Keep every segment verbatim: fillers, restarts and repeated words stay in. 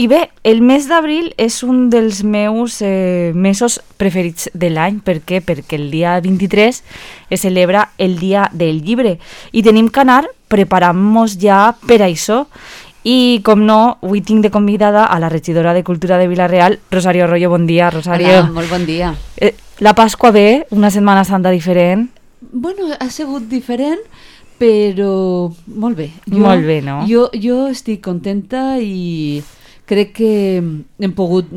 I bé, el mes d'abril és un dels meus eh, mesos preferits de l'any. Per què? Perquè el dia vint-i-tres es celebra el Dia del Llibre i tenim que anar preparant-nos ja per a això. I, com no, avui tinc de convidada a la regidora de Cultura de Vila-real, Rosario Arroyo. Bon dia, Rosario. Hola, molt bon dia. Eh, la Pasqua ve, una Setmana Santa diferent. Bueno, ha sigut diferent, però molt bé. Jo, molt bé, no? Jo, jo estic contenta i crec que hem pogut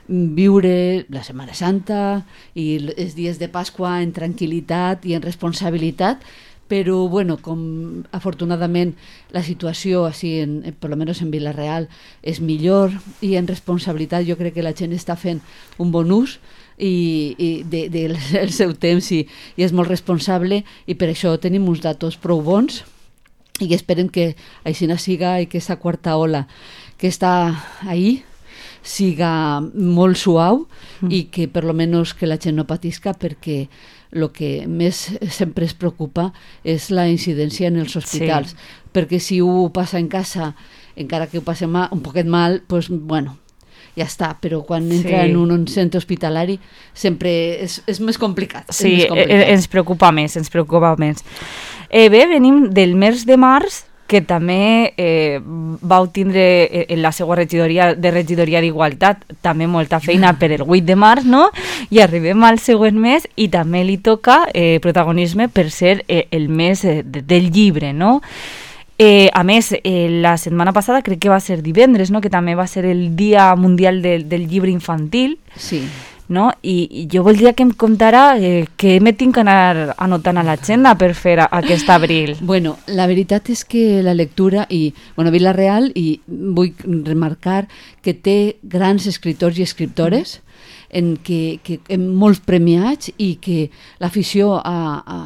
viure la Setmana Santa i els dies de Pasqua en tranquil·litat i en responsabilitat, però bueno, com afortunadament la situació així, en, per lo menos en Vila-real, és millor i en responsabilitat jo crec que la gent està fent un bon ús i, i de, de, del seu temps i, i és molt responsable i per això tenim uns datos prou bons i esperem que així siga i que aquesta quarta ola que està ahí siga molt suau mm. i que per lo menos que la gent no patisca, perquè el que més sempre es preocupa és la incidència en els hospitals, sí. perquè si ho passa en casa, encara que ho passe mal, un poquet mal, pues, bueno, ja està, però quan entra sí. en un centre hospitalari sempre és, és més complicat. Sí, és més complicat. ens preocupa més, ens preocupa més. Eh, bé, venim del mes de març, que també eh, vau tindre en la seva regidoria de regidoria d'Igualtat també molta feina per el vuit de març, no? I arribem al següent mes i també li toca eh, protagonisme per ser eh, el mes eh, del llibre, no? Eh, a més, eh, la setmana passada crec que va ser divendres, no? Que també va ser el Dia Mundial del, del Llibre Infantil. Sí. No? I, i jo voldria que em contara eh, què me tinc que anar anotant a l'agenda per fer a, aquest abril. Bueno, la veritat és que la lectura i, bueno, Vila-real, i vull remarcar que té grans escriptors i escriptores en que, que en molts premiats i que l'afició a, a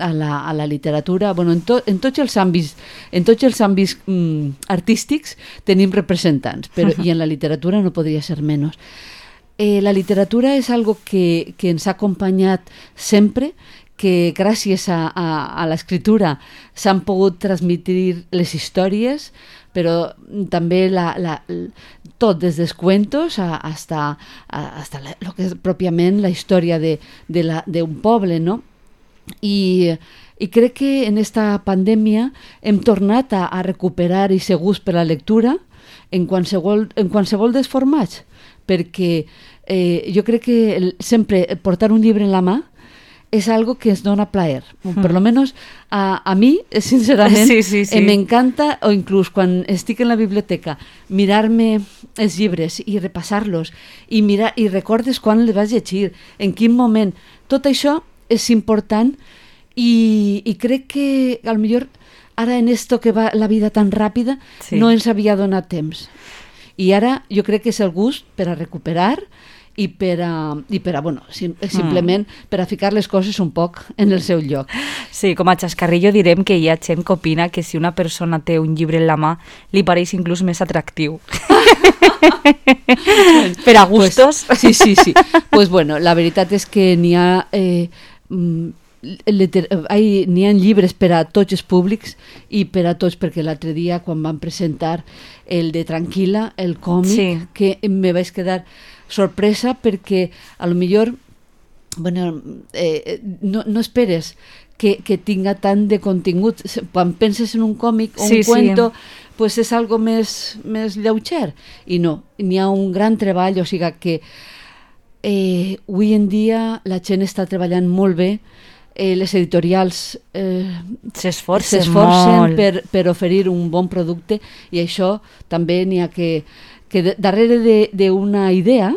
A la, a la literatura, bueno, en, to, en tots els àmbits, en tots els àmbits mm, artístics tenim representants, però i en la literatura no podria ser menys. Eh, la literatura és algo que, que ens ha acompanyat sempre, que gràcies a, a, a l'escriptura s'han pogut transmitir les històries, però també la, la, tot des dels cuentos a, hasta, a, hasta la, lo que és pròpiament la història de, de la, d'un poble, no? I, i crec que en esta pandèmia hem tornat a, a recuperar i ser gust per la lectura en qualsevol, en qualsevol dels formats, perquè eh, jo crec que el, sempre portar un llibre en la mà és algo que ens dona plaer. Mm. Per lo menos a, a mi, sincerament, sí, sí, sí. eh, m'encanta, o inclús quan estic en la biblioteca, mirar-me els llibres i repassar-los i, mirar, i recordes quan les vas llegir, en quin moment. Tot això és important i, i crec que a lo millor ara en esto que va la vida tan ràpida sí. no ens havia donat temps i ara jo crec que és el gust per a recuperar i per a, i per a bueno, sim, simplement mm. per a ficar les coses un poc en el seu lloc. Sí, com a xascarrillo direm que hi ha gent que opina que si una persona té un llibre en la mà li pareix inclús més atractiu. Per a gustos. Pues, sí, sí, sí. Pues bueno, la veritat és que n'hi ha eh, Liter- hay, n'hi ha llibres per a tots els públics i per a tots, perquè l'altre dia quan van presentar el de Tranquil·la, el còmic, sí. que me vaig quedar sorpresa perquè a lo millor bueno, eh, no, no esperes que, que tinga tant de contingut. Quan penses en un còmic o sí, un cuento, sí. pues és algo més, més lleuger i no, n'hi ha un gran treball, o sigui que eh, avui en dia la gent està treballant molt bé. Eh, les editorials eh, s'esforcen per, per oferir un bon producte i això també n'hi ha que, que de, darrere d'una idea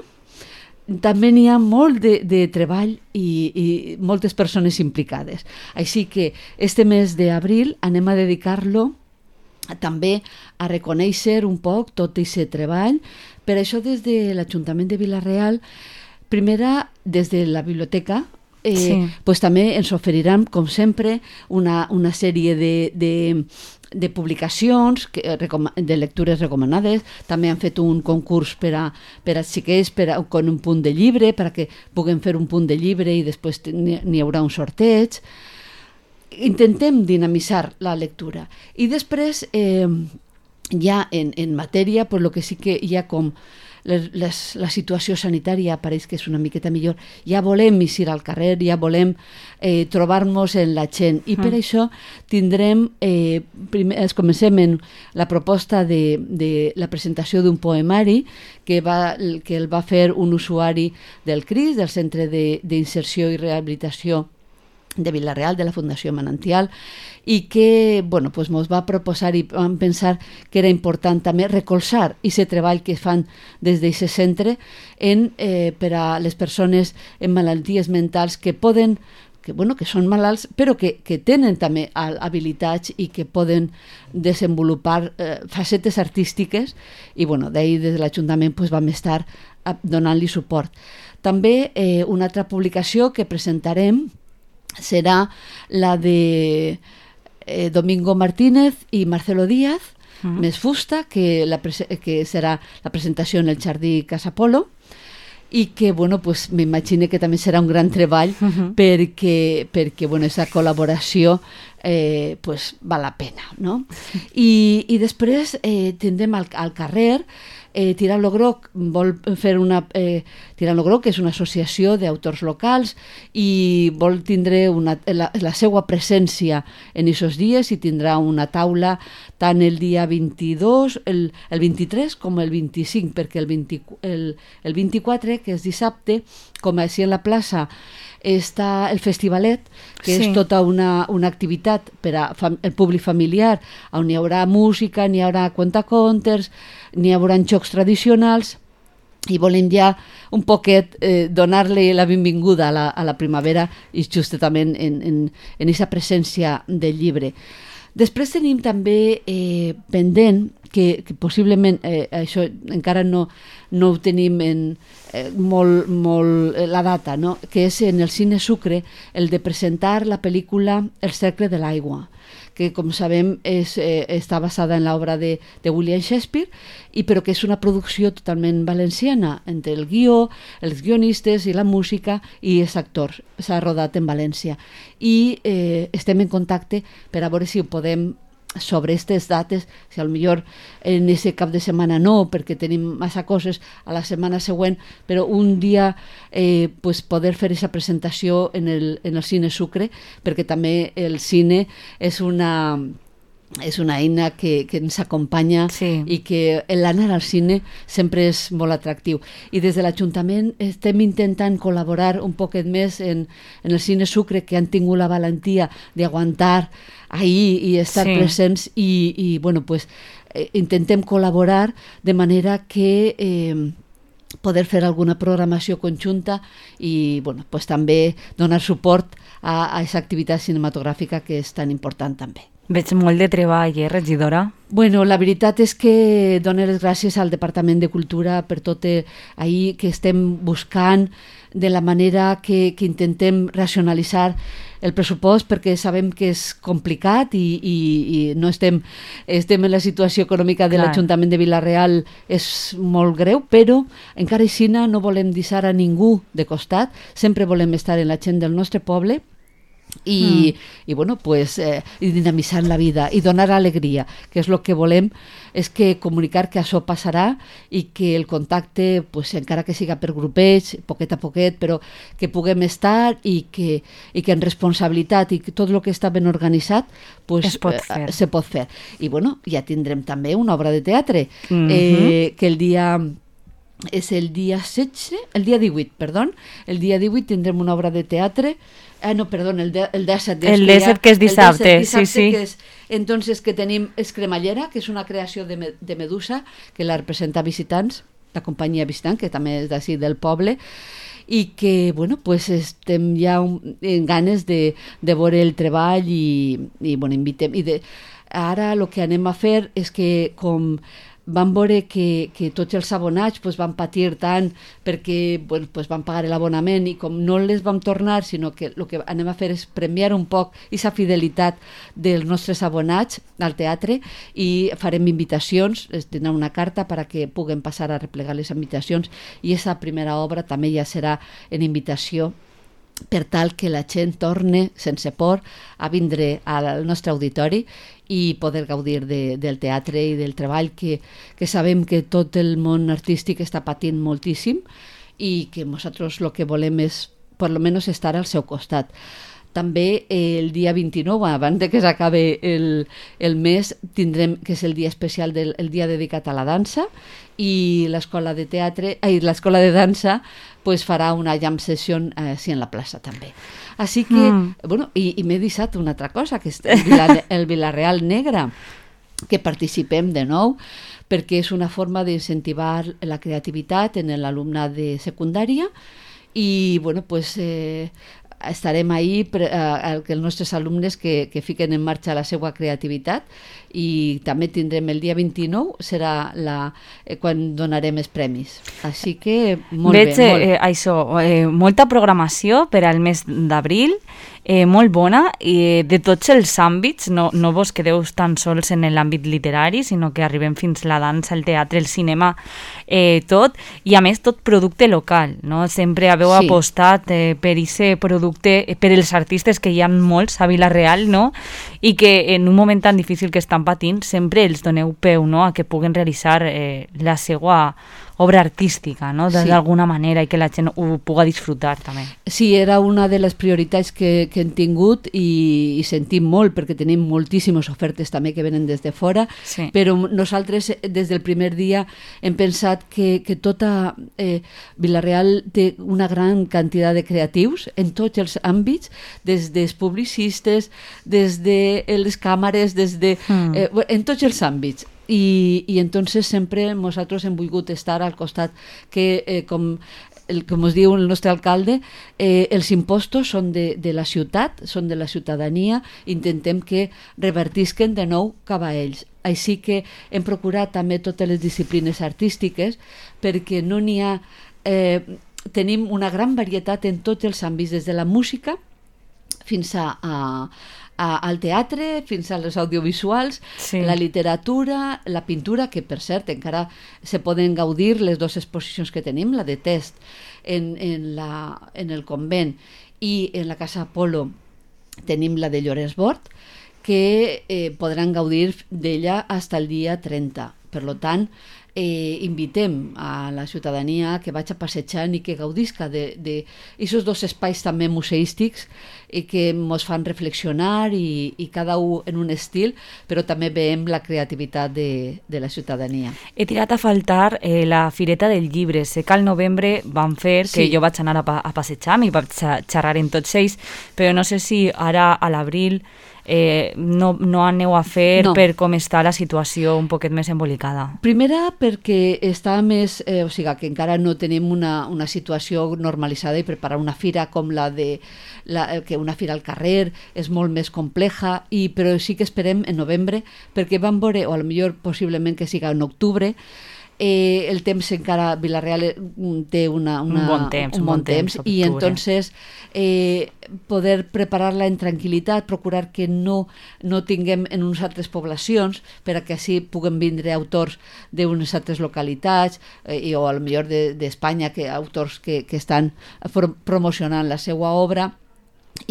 també n'hi ha molt de, de treball i, i moltes persones implicades. Així que este mes d'abril anem a dedicar-lo també a reconèixer un poc tot aquest treball. Per això des de l'Ajuntament de Vila-real, primera des de la biblioteca, Eh, sí. pues també ens oferiran, com sempre, una, una sèrie de, de, de publicacions que, de lectures recomanades. També han fet un concurs per a, per a xiquets per a, con un punt de llibre, perquè puguem fer un punt de llibre i després n'hi haurà un sorteig. Intentem dinamitzar la lectura. I després, eh, ja en, en matèria, pues, el que sí que hi ha com les, les, la situació sanitària pareix que és una miqueta millor, ja volem eixir al carrer, ja volem eh, trobar-nos en la gent, i per mm. això tindrem, eh, primer, es comencem en la proposta de, de la presentació d'un poemari que, va, que el va fer un usuari del C R I S, del Centre d'Inserció i Rehabilitació de Vila-real, de la Fundació Manantial, i que bueno, pues mos va proposar i vam pensar que era important també recolzar aquest treball que fan des d'aquest centre en, eh, per a les persones amb malalties mentals que poden, que, bueno, que són malalts, però que, que tenen també habilitats i que poden desenvolupar eh, facetes artístiques, i bueno, d'ahir des de l'Ajuntament pues, vam estar donant-li suport. També eh, una altra publicació que presentarem serà la de eh, Domingo Martínez i Marcelo Díaz, uh -huh. més fusta, que, la que serà la presentació en el Jardí Casa Polo, i que, bueno, pues, m'imagino que també serà un gran treball uh -huh. perquè, perquè bueno, aquesta col·laboració eh, pues, val la pena, no? I, i després eh, tindrem al, al carrer Eh, Tirant lo Groc vol fer una... Eh, Tirant lo Groc, que és una associació d'autors locals, i vol tindre una, la, la seva presència en aquests dies, i tindrà una taula tant el dia vint-i-dos, el, el vint-i-tres com el vint-i-cinc, perquè el, vint, el, el vint-i-quatre, que és dissabte, com així en la plaça, està el Festivalet, que sí. és tota una, una activitat per al públic familiar, on hi haurà música, n'hi haurà contacontes, n'hi haurà jocs tradicionals, i volem ja un poquet eh, donar-li la benvinguda a la, a la primavera, i justament en, en, en aquesta presència del llibre. Després tenim també eh, pendent, que, que possiblement eh, això encara no, no ho tenim en, eh, molt, molt eh, la data, no? Que és en el Cine Sucre el de presentar la pel·lícula El cercle de l'aigua, que com sabem és, eh, està basada en l'obra de, de William Shakespeare, i però que és una producció totalment valenciana, entre el guió, els guionistes i la música, i els actors. S'ha rodat en València. I eh, estem en contacte per a veure si ho podem, sobre aquestes dates, si potser en aquest cap de setmana no, perquè tenim massa coses a la setmana següent, però un dia eh, pues poder fer aquesta presentació en el, en el Cine Sucre, perquè també el cine és una... és una eina que, que ens acompanya, sí. i que l'anar al cine sempre és molt atractiu. I des de l'Ajuntament estem intentant col·laborar un poquet més en, en el Cine Sucre, que han tingut la valentia d'aguantar ahir i estar sí. presents, i, i bueno, pues, eh, intentem col·laborar de manera que eh, poder fer alguna programació conjunta i bueno, pues, també donar suport a aquesta activitat cinematogràfica que és tan important també. Veig molt de treball, eh, regidora? Bueno, la veritat és que dono les gràcies al Departament de Cultura per tot eh, ahir que estem buscant, de la manera que, que intentem racionalitzar el pressupost, perquè sabem que és complicat i, i, i no estem, estem en la situació econòmica de l'Ajuntament de Vila-real, és molt greu, però encara així no volem deixar a ningú de costat, sempre volem estar en la gent del nostre poble, i, mm. i bueno, pues, eh, i dinamitzar la vida i donar alegria, que és el que volem, és que comunicar que això passarà i que el contacte, pues, encara que siga per grupets, poquet a poquet, però que puguem estar i que, i que en responsabilitat i que tot el que està ben organitzat pues, es pot fer. Eh, se pot fer. I bueno, ja tindrem també una obra de teatre, mm-hmm. eh, que el dia... és el dia setze, el dia divuit, perdó, el dia divuit tindrem una obra de teatre, ah no, perdó, el, de, el disset, el disset que és dissabte, el dissabte, sí, sí. Que és, entonces que tenim Escremallera, que és una creació de, de Medusa, que la representa Visitants, la companyia Visitant, que també és d'ací del poble, i que, bueno, pues estem ja un, en ganes de, de veure el treball i, i bueno, invitem, i de, ara el que anem a fer és que com van veure que, que tots els abonats pues, van patir tant perquè bueno, pues, van pagar l'abonament i com no les vam tornar, sinó que el que anem a fer és premiar un poc aquesta fidelitat dels nostres abonats al teatre i farem invitacions, es tindrà una carta perquè puguen passar a replegar les invitacions i aquesta primera obra també ja serà en invitació per tal que la gent torne sense por a vindre al nostre auditori i poder gaudir de, del teatre i del treball que, que sabem que tot el món artístic està patint moltíssim i que nosaltres el que volem és per lo menos estar al seu costat. També el dia vint-i-nou, abans de que s'acabi el, el mes, tindrem, que és el dia especial, del, el dia dedicat a la dansa, i l'escola de teatre, ai, l'escola de dansa pues, farà una jam session eh, sí, en la plaça també. Així que, mm. bueno, i, i m'he deixat una altra cosa, que és el, Vila, el Vila-real Negre, que participem de nou, perquè és una forma d'incentivar la creativitat en l'alumnat de secundària, i bueno, pues, eh, estarem ahí per, eh, els nostres alumnes que, que fiquen en marxa la seva creativitat, i també tindrem el dia vint-i-nou, serà la, eh, quan donarem els premis. Així que molt Veig, bé. Molt. Eh, això, eh, molta programació per al mes d'abril, eh, molt bona, i de tots els àmbits, no, no vos quedeu tan sols en l'àmbit literari, sinó que arribem fins la dansa, el teatre, el cinema, eh, tot, i a més tot producte local, no? Sempre haveu Sí. apostat eh, per aquest producte, eh, per els artistes que hi ha molts a Vila-real, no? I que en un moment tan difícil que estan patint, sempre els doneu peu, no?, a que puguen realitzar eh, la seva obra artística, no?, Sí. d'alguna manera, i que la gent ho puga disfrutar també. Sí, era una de les prioritats que, que hem tingut i, i sentim molt, perquè tenim moltíssimes ofertes també que venen des de fora, Sí. però nosaltres des del primer dia hem pensat que, que tota eh, Vila-real té una gran quantitat de creatius en tots els àmbits, des dels publicistes, des de les càmeres, des de, Mm. eh, en tots els àmbits. I, i entonces sempre nosaltres hem volgut estar al costat que, eh, com, el, com us diu el nostre alcalde, eh, els impostos són de, de la ciutat, són de la ciutadania, intentem que revertisquen de nou cap a ells. Així que hem procurat també totes les disciplines artístiques, perquè no n'hi ha... Eh, tenim una gran varietat en tots els àmbits, des de la música fins a, a, a, al teatre, fins a les audiovisuals, Sí. la literatura, la pintura, que per cert encara se poden gaudir les dues exposicions que tenim, la de test en, en, la, en el convent i en la Casa Apolo tenim la de Llorenç Bort, que eh, podran gaudir d'ella fins el dia trenta. Per lo tant, eh, invitem a la ciutadania que vaig a passejant i que gaudisca d'aquests dos espais també museístics i que ens fan reflexionar i, i cada un en un estil, però també veiem la creativitat de, de la ciutadania. He tirat a faltar eh, la Fireta del Llibre. Sé que al novembre van fer, que Sí. jo vaig anar a, pa a passejar i vaig a xerrar en tots ells, però no sé si ara a l'abril eh, no, no aneu a fer No. per com està la situació un poquet més embolicada. Primera, perquè està més... Eh, o sigui, que encara no tenim una, una situació normalitzada, i preparar una fira com la de... La, que una fira al carrer és molt més compleja, i, però sí que esperem en novembre, perquè vam veure, o a lo millor possiblement que siga en octubre, eh, el temps encara, Vila-real eh, té una, una, Un bon temps, un un bon bon temps, temps, i octubre. entonces eh, poder preparar-la en tranquil·litat, procurar que no, no tinguem en unes altres poblacions, per a que així puguen vindre autors d'unes altres localitats, eh, i, o a lo millor d'Espanya, que autors que, que estan for- promocionant la seva obra,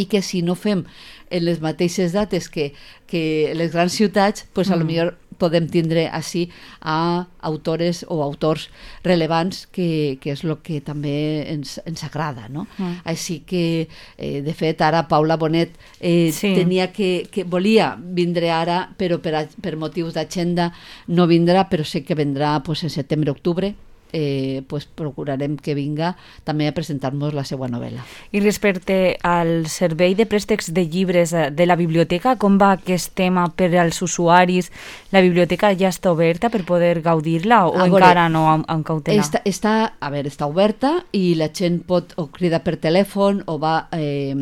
i que si no fem en les mateixes dates que, que les grans ciutats, pues a lo Mm. millor podem tindre així a autores o autors relevants, que, que és el que també ens, ens agrada, no? Mm. Així que, eh, de fet, ara Paula Bonet eh, Sí. tenia que, que volia vindre ara, però per, a, per motius d'agenda no vindrà, però sé que vendrà pues, en setembre-octubre. Eh, pues procurarem que vinga també a presentar-nos la seva novel·la. I respecte al servei de préstecs de llibres eh, de la biblioteca, com va aquest tema per als usuaris? La biblioteca ja està oberta per poder gaudir-la o A veure, encara no amb, amb cautela? Està, està, a veure, està oberta, i la gent pot o cridar per telèfon o va eh,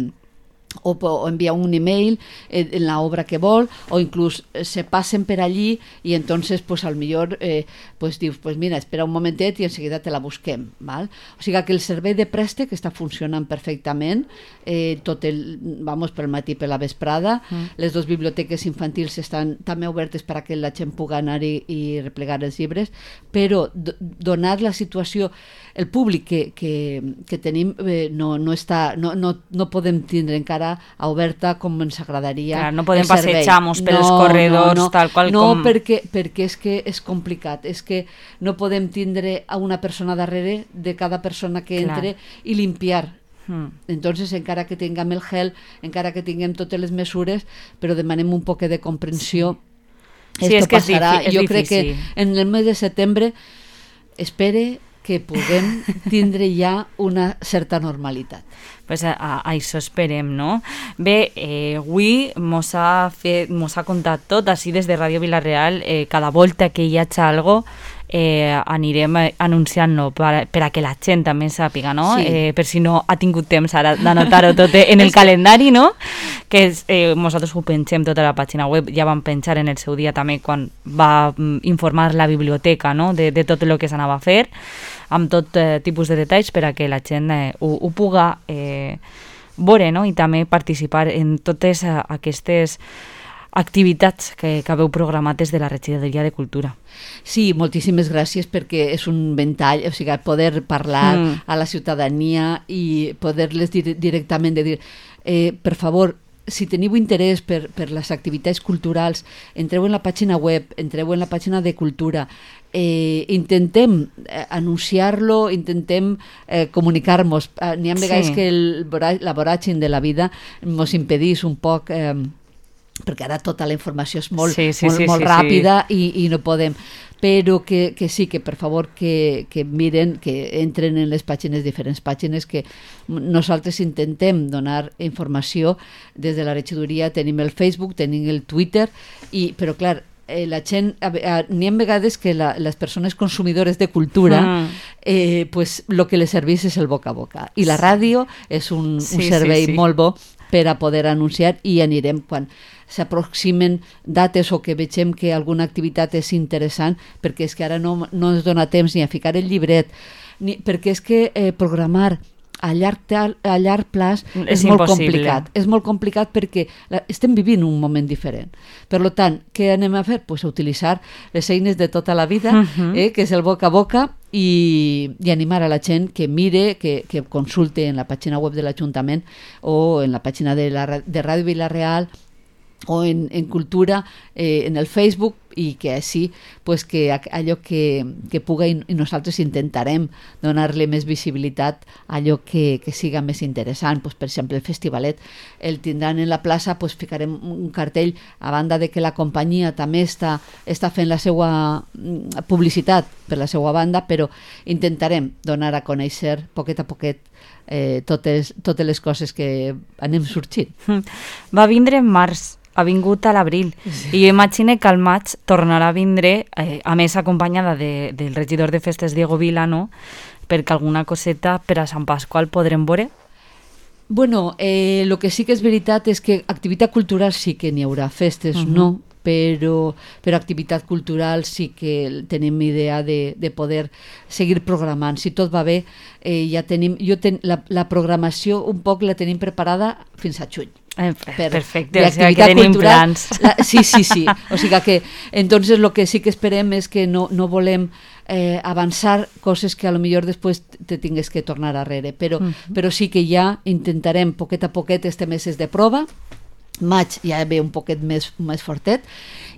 o, o enviar un email en, en la obra que vol, o inclús eh, se passen per allí i entonces pues al millor eh, pues dius, pues mira, espera un momentet i enseguida te la busquem, val? O sigui que el servei de préstec està funcionant perfectament, eh, tot el, vamos, pel matí per la vesprada, mm. les dues biblioteques infantils estan també obertes perquè la gent pugui anar-hi i replegar els llibres, però d- donat la situació, el públic que, que, que tenim eh, no, no, està, no, no, no podem tindre encara oberta com ens agradaria. Clar, no podem passejar-nos per els corredors no, no, tal qual no, com... No, perquè, perquè és que és complicat, és que no podem tindre a una persona darrere de cada persona que entre Clar. I limpiar. Hmm. Entonces, encara que tinguem el gel, encara que tinguem totes les mesures, però demanem un poc de comprensió. Sí, és que passarà. És, jo és crec que en el mes de setembre espere que puguem tindre ja una certa normalitat. Pues a, a, a això esperem, no? Bé, eh, avui mos ha, fet, mos ha contat tot, així des de Ràdio Vila-real, eh, cada volta que hi hagi algo eh, anirem anunciant-lo per, per a que la gent també sàpiga, no? Sí. Eh, per si no ha tingut temps ara d'anotar-ho tot en el calendari, no? Que és, eh, nosaltres ho pengem tota la pàgina web, ja vam penjar en el seu dia també quan va informar la biblioteca, no? de, de tot el que s'anava a fer, amb tot eh, tipus de detalls per a que la gent eh, ho, ho puga eh, veure, no? I també participar en totes eh, aquestes activitats que, que haveu programat des de la Regidoria de Cultura. Sí, moltíssimes gràcies perquè és un ventall, o sigui, poder parlar mm. a la ciutadania i poder-les dir directament de dir, eh, per favor, si teniu interès per, per les activitats culturals, entreu en la pàgina web, entreu en la pàgina de Cultura, eh, intentem eh, anunciar-lo, intentem eh, comunicar-nos. Eh, n'hi ha vegades sí. que el, la voràgine de la vida ens impedís un poc... Eh, perquè ara tota la informació és molt, sí, sí, molt, sí, molt sí, ràpida sí. I, i no podem, però que, que sí, que per favor que, que miren, que entren en les pàgines, diferents pàgines, que nosaltres intentem donar informació des de la regidoria, tenim el Facebook, tenim el Twitter, i, però clar, eh, la gent, n'hi ha vegades que la, les persones consumidores de cultura mm. eh, pues lo que les serveix és el boca a boca, i la ràdio és un, sí, un servei sí, sí. molt bo per a poder anunciar, i anirem quan s'aproximen dates o que vegem que alguna activitat és interessant, perquè és que ara no, no ens dona temps ni a ficar el llibret, ni, perquè és que eh, programar a llarg, a llarg plaç és, és molt complicat. És molt complicat perquè la, estem vivint un moment diferent. Per tant, què anem a fer? Pues a utilitzar les eines de tota la vida, uh-huh. eh, que és el boca a boca, i, i animar a la gent que mire, que, que consulte en la pàgina web de l'Ajuntament o en la pàgina de, la, de Ràdio Vila-real o en, en Cultura, eh, en el Facebook, i que així pues, que allò que, que puga, i nosaltres intentarem donar-li més visibilitat a allò que, que siga més interessant. Pues, per exemple, el festivalet el tindran en la plaça, pues, ficarem un cartell, a banda de que la companyia també està, està fent la seva publicitat per la seva banda, però intentarem donar a conèixer poquet a poquet eh, totes, totes les coses que anem sorgint. Va vindre en març, ha vingut a l'abril, sí. I jo imagino que al maig tornarà a vindre, eh, a més acompanyada de, del regidor de festes Diego Vila, no? Perquè alguna coseta per a Sant Pasqual podrem veure? Bueno, eh, lo que sí que és veritat és que activitat cultural sí que n'hi haurà, festes uh-huh. no, però, però activitat cultural sí que tenim idea de, de poder seguir programant. Si tot va bé, eh, ja tenim, jo ten, la, la programació un poc la tenim preparada fins a juny. Eh, per, perfecte, o sigui que tenim cultural, plans. La, sí, sí, sí. O sigui que, entonces, lo que sí que esperem és que no, no volem eh, avançar coses que a lo millor després te tingues que tornar arrere, però, uh-huh. però sí que ja intentarem poquet a poquet este meses de prova, maig ja ve un poquet més, més fortet,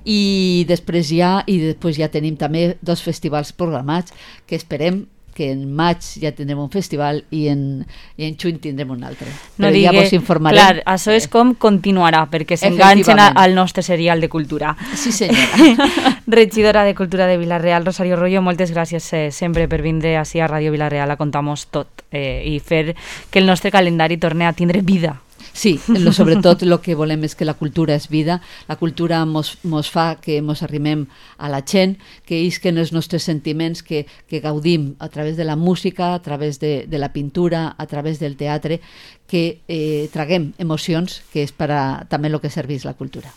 i després ja i després ja tenim també dos festivals programats que esperem que en maig ja tindrem un festival i en, i en juny tindrem un altre. No Però digue, ja vos informarem. Clar, això és com continuarà, perquè s'enganxen al nostre serial de cultura. Sí, senyora. Regidora de Cultura de Vila-real, Rosario Royo, moltes gràcies eh, sempre per vindre ací a Ràdio Vila-real a contar-nos tot eh, i fer que el nostre calendari torni a tindre vida. Sí, lo, sobretot el que volem és que la cultura és vida, la cultura mos, mos fa que mos arrimem a la gent, que isquen els nostres sentiments, que, que gaudim a través de la música, a través de, de la pintura, a través del teatre, que eh, traguem emocions, que és per a, també el que serveix la cultura.